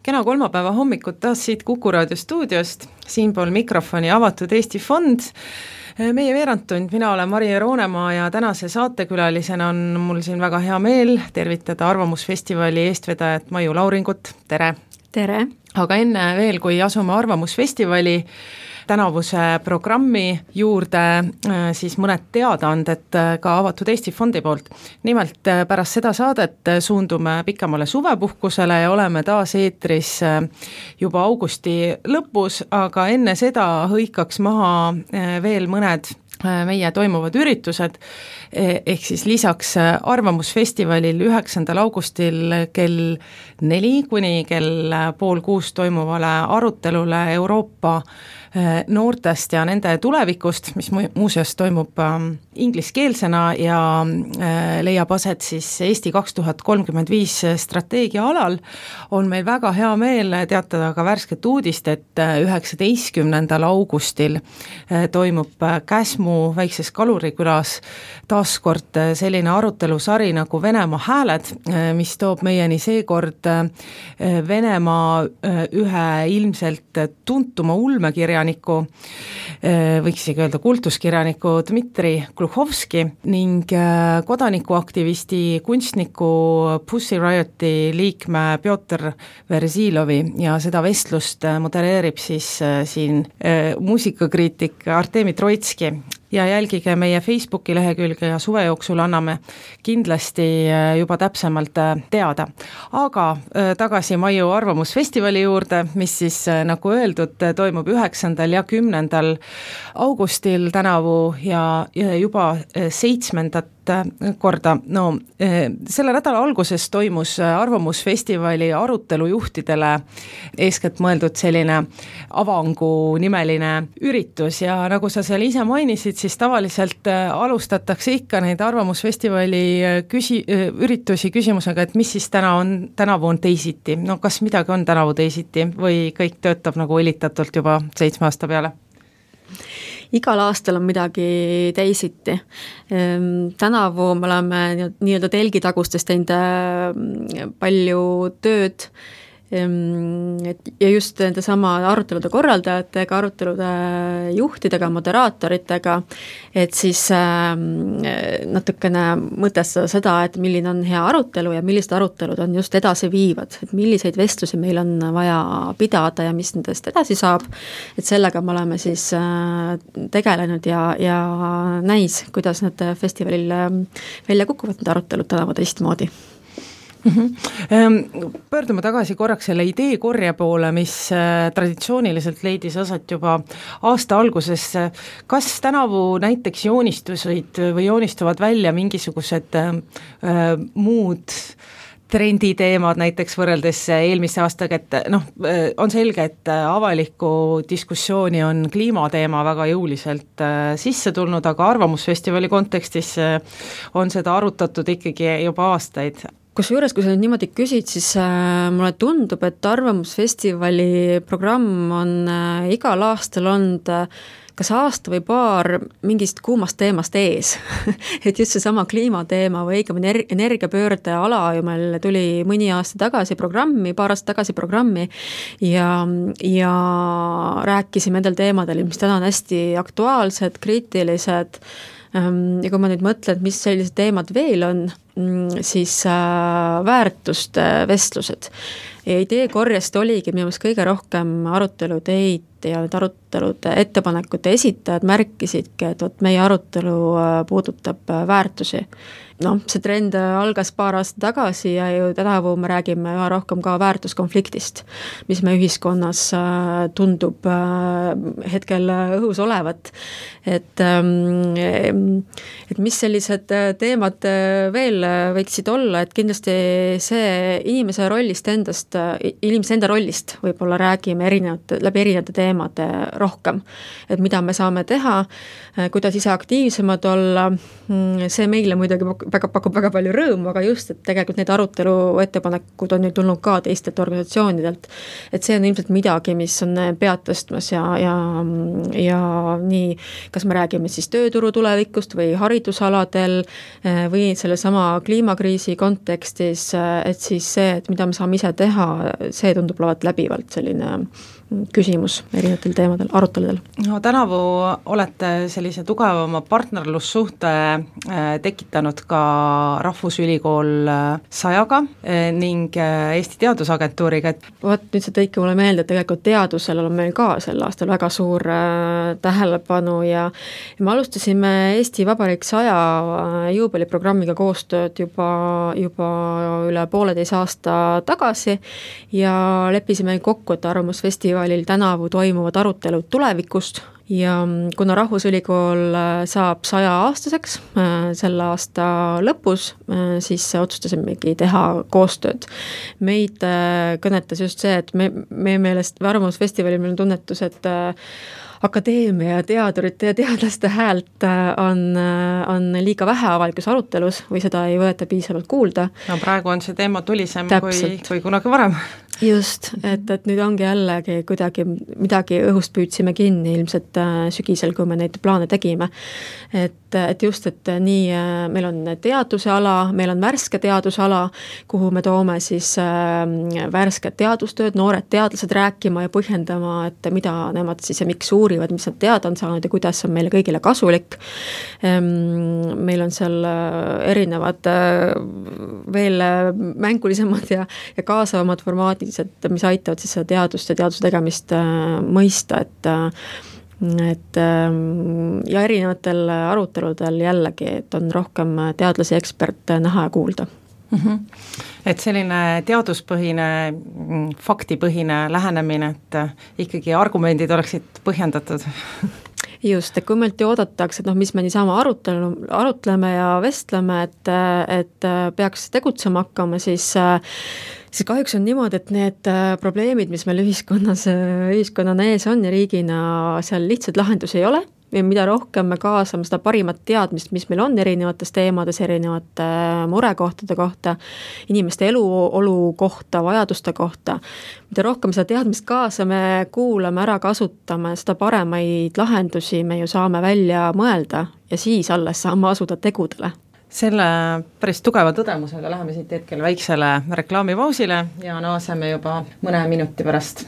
Kena kolmapäeva hommikut taas siit Kuku raadio stuudiost, siinpool mikrofoni Avatud Eesti Fond. Meie veerandtund, mina olen Mari Roonemaa ja tänase saatekülalisena on mul siin väga hea meel tervitada Arvamusfestivali eestvedajat Maiu Lauringut, tere! Tere! Aga enne veel, kui asume Arvamusfestivali tänavuse programmi juurde, siis mõned teadaanded ka Avatud Eesti Fondi poolt. Nimelt pärast seda saadet suundume pikemale suvepuhkusele ja oleme taas eetris juba augusti lõpus, aga enne seda hõikaks maha veel mõned meie toimuvad üritused, ehk siis lisaks Arvamusfestivalil 9. augustil kell 4 kuni kell 5:30 toimuvale arutelule Euroopa noortest ja nende tulevikust, mis muuseas toimub ingliskeelsena ja leiab aset siis Eesti 2035 strateegia alal, on meil väga hea meel teatada ka värsket uudist, et 19. augustil toimub Käsmu väikses Kalurikülas taaskord selline arutelusari nagu Venemaa hääled, mis toob meieni seekord Venemaa ühe ilmselt tuntuma ulmekirjaniku, võiks isegi öelda kultuskirjaniku Dmitri Gluhovski ning kodanikuaktivisti kunstniku Pussy Rioti liikme Pjotr Verzilovi ja seda vestlust modereerib siis siin muusikakriitik Artemi Troitski. Ja jälgige meie Facebooki lehekülge ja suve jooksul anname kindlasti juba täpsemalt teada. Aga tagasi Maiu Arvamusfestivali juurde, mis siis nagu öeldud toimub 9. ja 10. augustil tänavu ja juba 7. korda. No, selle nädala alguses toimus Arvamusfestivali arutelujuhtidele eeskätt mõeldud selline avangu nimeline üritus ja nagu sa seal ise mainisid, siis tavaliselt alustatakse ikka neid Arvamusfestivali üritusi küsimusega, et mis siis tänavu on teisiti. No kas midagi on tänavu teisiti või kõik töötab nagu õlitatult juba 7 aasta peale? Igal aastal on midagi teisiti. Tänavu me oleme nii-öelda telgitagustes teinud palju tööd ja just nende sama arutelude korraldajatega, arutelude juhtidega, moderaatoritega, et siis natukene mõtestada seda, et milline on hea arutelu ja millised arutelud on just edasi viivad, et milliseid vestlusi meil on vaja pidada ja mis nendest edasi saab, et sellega me oleme siis tegelenud ja näis, kuidas need festivalil välja kukuvad need arutelud tänavu teistmoodi. Pöördume tagasi korraks selle ideekorje poole, mis traditsiooniliselt leidis aset juba aasta alguses. Kas tänavu näiteks joonistuvad välja mingisugused muud trenditeemad näiteks võrreldes eelmise aastaga, et on selge, et avaliku diskussiooni on kliimateema väga jõuliselt sisse tulnud, aga Arvamusfestivali kontekstis on seda arutatud ikkagi juba aastaid. Kusjuures, kui sa nüüd niimoodi küsid, siis mulle tundub, et Arvamusfestivali programm on igal aastal olnud kas aasta või paar mingist kuumast teemast ees. Et just seesama kliimateema või õigemini energiapöörde ala ju meil tuli mõni aasta tagasi programmi, paar aastat tagasi programmi ja rääkisime nendel teemadel, mis täna on hästi aktuaalsed, kriitilised. Ja kui ma nüüd mõtlen, mis sellised teemad veel on, siis väärtuste vestlused. Ja ideekorjest oligi minu meelest kõige rohkem aruteluteid ja need arutelude ettepanekute esitajad märkisidki, et meie arutelu puudutab väärtusi. See trend algas paar aastat tagasi ja ju tänavu me räägime üha rohkem ka väärtuskonfliktist, mis me ühiskonnas tundub hetkel õhus olevat. Et mis sellised teemad veel võiksid olla, et kindlasti see inimese enda rollist võib-olla räägime läbi erinevate teemade rohkem, et mida me saame teha, kuidas ise aktiivsemad olla, see meile muidugi pakub väga palju rõõmu, aga just, et tegelikult need arutelu ettepanekud on ju tulnud ka teistelt organisatsioonidelt, et see on ilmselt midagi, mis on pead tõstmas ja nii, kas me räägime siis tööturu tulevikust või haridusaladel või selle sama kliimakriisi kontekstis, et siis see, et mida me saame ise teha, see tundub olevat läbivalt selline küsimus erinevatel teemadel, aruteludel. No tänavu olete sellise tugevama partnerlussuhte tekitanud ka Rahvusülikool 100-ga ning Eesti Teadusagentuuriga. Vot nüüd see tõike mulle meelde, et tegelikult teadusel on meil ka sel aastal väga suur tähelepanu ja me alustasime Eesti Vabariik 100 juubeliprogrammiga koostööd juba üle 1,5 aasta tagasi ja leppisime kokku, et Arvamusfestivalil tänavu toimuvad arutelud tulevikust ja kuna Rahvusülikool saab 100-aastaseks selle aasta lõpus, siis otsustasimegi teha koostööd. Meid kõnetas just see, et meie meelest Arvamusfestivalil meil on tunnetus, et akadeemia ja teadurite ja teadlaste häält on liiga vähe avalikus arutelus või seda ei võeta piisavalt kuulda. No praegu on see teema tulisem kui kunagi varem. Just, et nüüd ongi jällegi kuidagi midagi õhust püüdsime kinni ilmselt sügisel, kui me neid plaane tegime. Et just, et nii meil on teaduse ala, meil on värske teadusala, kuhu me toome siis värsked teadustööd, noored teadlased rääkima ja põhjendama, et mida nemad siis ja miks uurivad, mis nad teada on saanud ja kuidas on meile kõigile kasulik. Meil on seal erinevad veel mängulisemad ja kaasavamad formaadid, mis aitavad siis seda teadust ja teaduse tegemist mõista, et ja erinevatel aruteludel jällegi, et on rohkem teadlasi, eksperte näha ja kuulda. Et selline teaduspõhine, faktipõhine lähenemine, et ikkagi argumendid oleksid põhjendatud. Just, et kui meilt ju oodatakse, et mis me niisama arutleme ja vestleme, et peaks tegutsema hakkama, siis kahjuks on niimoodi, et need probleemid, mis meil ühiskonnana ees on ja riigina, seal lihtsalt lahendusi ei ole. Ja mida rohkem me kaasame seda parimat teadmist, mis meil on erinevates teemades, erinevate murekohtade kohta, inimeste eluolu kohta, vajaduste kohta. Mida rohkem seda teadmist kaasame, kuulame, ära kasutame, seda paremaid lahendusi me ju saame välja mõelda ja siis alles saame asuda tegudele. Selle päris tugeva tõdemusega läheme siit hetkel väiksele reklaamipausile ja naaseme juba mõne minuti pärast.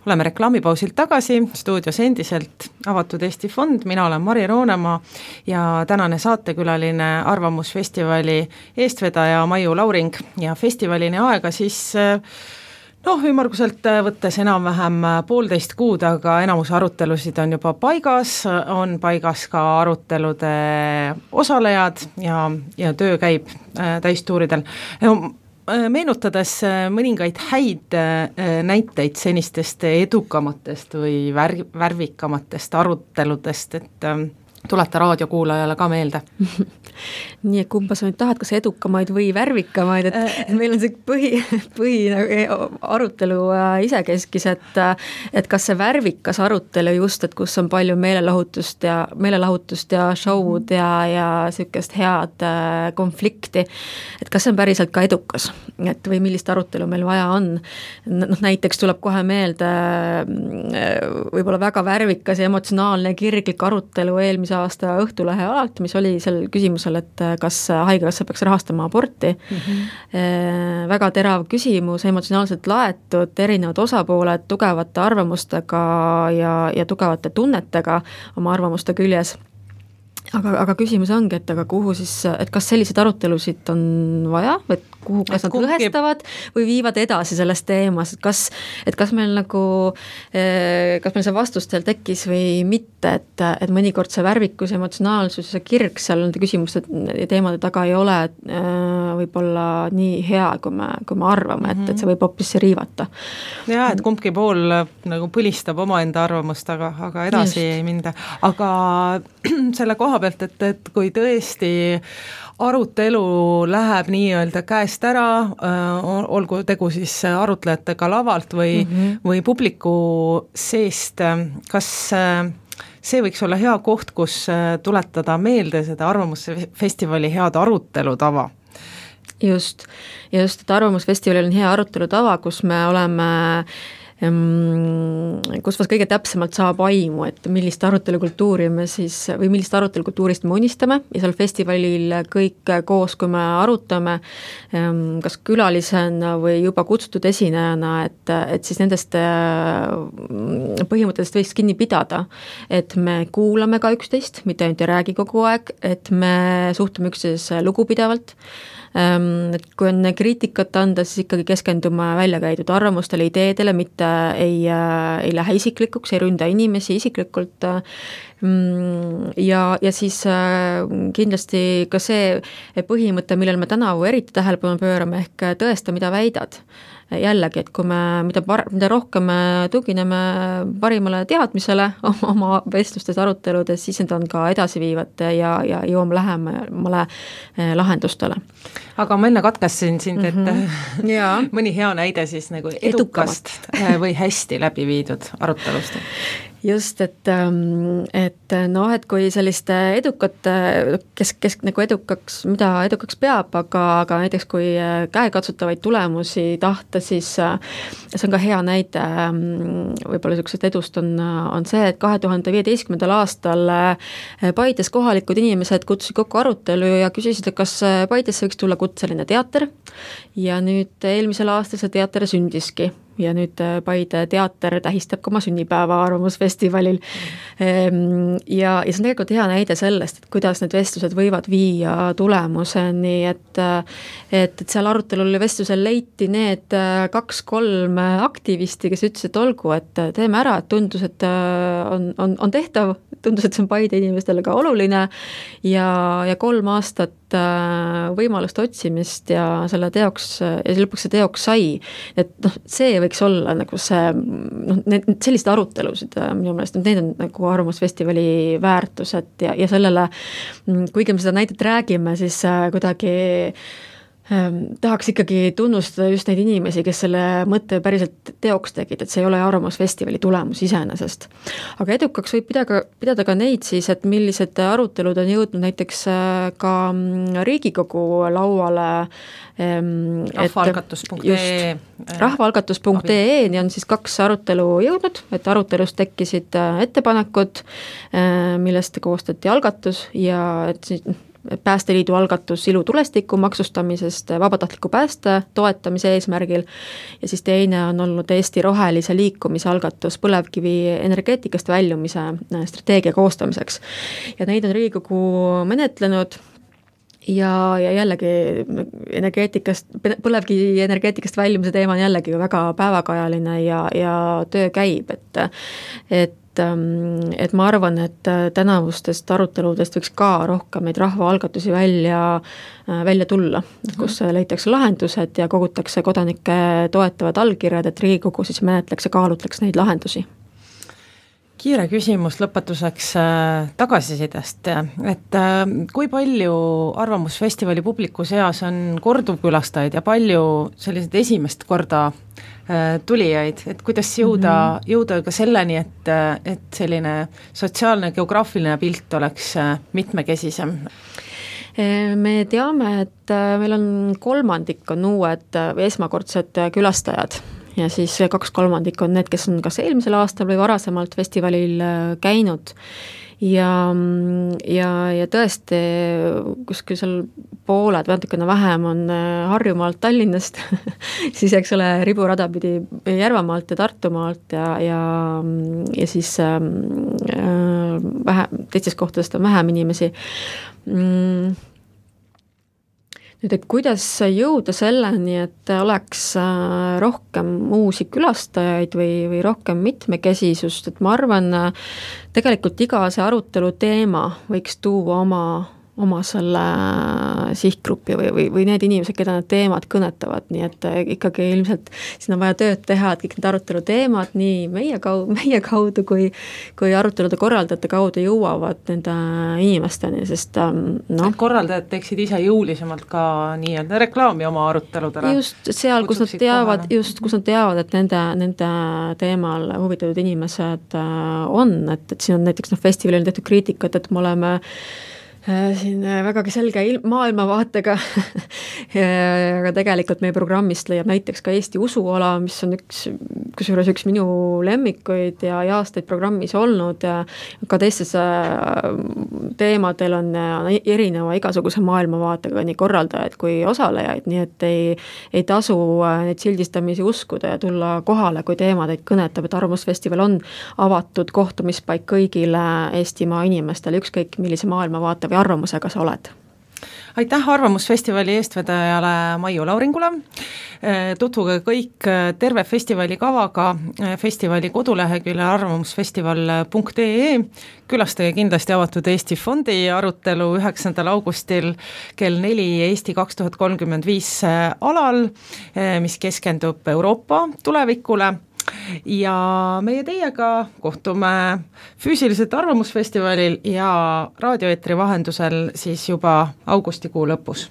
Oleme reklaamipausilt tagasi, stuudios endiselt Avatud Eesti Fond, mina olen Mari Roonemaa ja tänane saatekülaline Arvamusfestivali eestvedaja Maiu Lauring ja festivalini aega siis ümmarguselt võttes enam-vähem 1,5 kuud, aga enamus arutelusid on juba paigas, on paigas ka arutelude osalejad ja töö käib täistuuridel. Meenutades mõningaid häid näiteid senistest edukamatest või värvikamatest aruteludest, et tuleta raadiokuulajale ka meelde. Nii, et kumba sa nüüd tahad, kas edukamaid või värvikamaid, et meil on see põhi arutelu isekeskis, et kas see värvikas arutelu just, et kus on palju meelelahutust ja show'd ja sükest head konflikti, et kas see on päriselt ka edukas, et või millist arutelu meil vaja on. Näiteks tuleb kohe meelde võib-olla väga värvikas ja emotsionaalne kirglik arutelu eelmise aasta Õhtulehe alalt, mis oli sel küsimusel, et kas haigekassa peaks rahastama aborti. Väga terav küsimus, emotsionaalselt laetud, erinevad osapooled tugevate arvamustega ja tugevate tunnetega oma arvamuste küljes. Aga küsimus ongi, et kuhu siis, et kas sellised arutelusid on vaja, et kuhu, kas nad lõhestavad või viivad edasi selles teemas, et kas meil see vastus teil tekkis või mitte, et mõnikord see värvikus, emotsionaalsus ja see kirg seal nende küsimuste ja teemade taga ei ole võib-olla nii hea, kui me arvame, et see võib hoopis riivata. Jaa, et kumbki pool nagu põlistab omaenda arvamust, aga edasi just ei minda. Aga selle koha pealt, et kui tõesti arutelu läheb nii-öelda käest ära, olgu tegu siis arutlejatega lavalt või publiku seest, kas see võiks olla hea koht, kus tuletada meelde seda Arvamusfestivali head arutelutava? Just, et Arvamusfestivalil on hea arutelutava, kus me oleme kus kõige täpsemalt saab aimu, et millist arutelukultuuri me siis, või millist arutelukultuurist me unistame ja seal festivalil kõik koos, kui me arutame, kas külalisena või juba kutsutud esinejana, et siis nendest põhimõtteliselt võiks kinni pidada, et me kuulame ka üksteist, mitte ainult ei räägi kogu aeg, et me suhtume üksteisesse lugupidavalt, et kui on kriitikat anda, siis ikkagi keskendume välja käidud arvamustele, ideedele, mitte ei lähe isiklikuks, ei ründa inimesi isiklikult ja siis kindlasti ka see põhimõte, millel me tänavu eriti tähelepanu pöörame, ehk tõesta, mida väidad. Jällegi, et kui me, mida rohkem me tugineme parimale teadmisele oma vestlustes, aruteludes, siis need on ka edasiviivad ja jõuame lähemale lahendustele. Aga ma enne katkestasin sind, et mõni hea näide siis nagu edukast või hästi läbi viidud arutelust. Just, et kui sellist edukat, kes nagu edukaks, mida edukaks peab, aga näiteks kui käekatsutavaid tulemusi tahta, siis see on ka hea näide, võib-olla niisugused edust on see, et 2015. aastal Paides kohalikud inimesed kutsusid kokku arutelu ja küsisid, et kas Paidesse võiks tulla kutseline teater ja nüüd eelmisel aastal see teater sündiski. Ja nüüd Paide teater tähistab ka oma sünnipäeva arvamusfestivalil. Ja see on tegelikult hea näide sellest, et kuidas need vestlused võivad viia tulemuseni, et seal arutelul ja vestlusel leiti need 2-3 aktivisti, kes ütlesid, et olgu, et teeme ära, et tundus, et on tehtav, tundus, et see on Paide inimestele ka oluline ja 3 aastat võimalust otsimist ja selle teoks, ja lõpuks see teoks sai. Et see võiks olla nagu see, sellised arutelusid minu meelest, need on nagu arvamusfestivali väärtused ja sellele, kuigi me seda näidet räägime, siis kuidagi tahaks ikkagi tunnustada just neid inimesi, kes selle mõtte päriselt teoks tegid, et see ei ole arvamusfestivali tulemus iseenesest. Aga edukaks võib pidada ka neid siis, et millised arutelud on jõudnud näiteks ka Riigikogu lauale. Rahvaalgatus.ee Rahvaalgatus.ee on siis 2 arutelu jõudnud, et arutelust tekkisid ettepanekud, millest koostati algatus ja et siis Päästeliidu algatus ilutulestiku maksustamisest vabatahtliku pääste toetamise eesmärgil ja siis teine on olnud Eesti rohelise liikumise algatus põlevkivi energeetikast väljumise strateegia koostamiseks. Ja neid on Riigikogu menetlenud ja jällegi põlevkivi energeetikast väljumise teema on jällegi väga päevakajaline ja töö käib, et ma arvan, et tänavustest aruteludest võiks ka rohkem neid rahvaalgatusi välja tulla, kus leitakse lahendused ja kogutakse kodanike toetavad allkirjad, et Riigikogu siis menetleks ja kaalutleks neid lahendusi. Kiire küsimus lõpetuseks tagasisidest, et kui palju arvamusfestivali publiku seas on korduvkülastajaid ja palju sellised esimest korda tulijaid, et kuidas jõuda ka selleni, et selline sotsiaalne geograafiline pilt oleks mitmekesisem? Me teame, et meil on 3% on uued või esmakordsed külastajad ja siis 2/3 on need, kes on kas eelmisel aastal või varasemalt festivalil käinud ja tõesti kuskil seal pooled, natukene vähem on Harjumaalt, Tallinnast siis eks ole riburada pidi Järvamaalt ja Tartumaalt ja siis teistest kohtadest on vähem inimesi. Nüüd, et kuidas jõuda selleni, et oleks rohkem uusi külastajaid või rohkem mitmekesisust, et ma arvan, tegelikult iga see arutelu teema võiks tuua oma selle sihtgrupi või need inimesed, keda need teemad kõnetavad, nii et ikkagi ilmselt siin on vaja tööd teha, et kõik need arutelu teemad nii meie kaudu kui arutelude korraldajate kaudu jõuavad nende inimesteni, sest et korraldajad teeksid ise jõulisemalt ka nii-öelda reklaami oma aruteludele. Just seal, kus nad teavad, et nende teemal huvitatud inimesed on, et siin on näiteks festivalil tehtud kriitikat, et me oleme Siin vägagi selge maailmavaatega aga tegelikult meie programmist leiab näiteks ka Eesti usuala, mis on kusjuures üks minu lemmikuid ja aastaid programmis olnud ja ka teistes teemadel on erineva igasuguse maailmavaatega nii korraldajaid kui osalejaid, nii et ei tasu neid sildistamisi uskuda ja tulla kohale, kui teema teid kõnetab, et Arvamusfestival on avatud kohtumispaik kõigile Eestimaa inimestele, ükskõik millise maailmavaate või arvamusega sa oled. Aitäh Arvamusfestivali eestvedajale Maiu Lauringule, tutvuge kõik terve festivali kavaga festivali koduleheküljel arvamusfestival.ee, külastage kindlasti Avatud Eesti Fondi arutelu 9. augustil kell 4 Eesti 2035 alal, mis keskendub Euroopa tulevikule. Ja meie teiega kohtume füüsiliselt Arvamusfestivalil ja raadioeetri vahendusel siis juba augustikuu lõpus.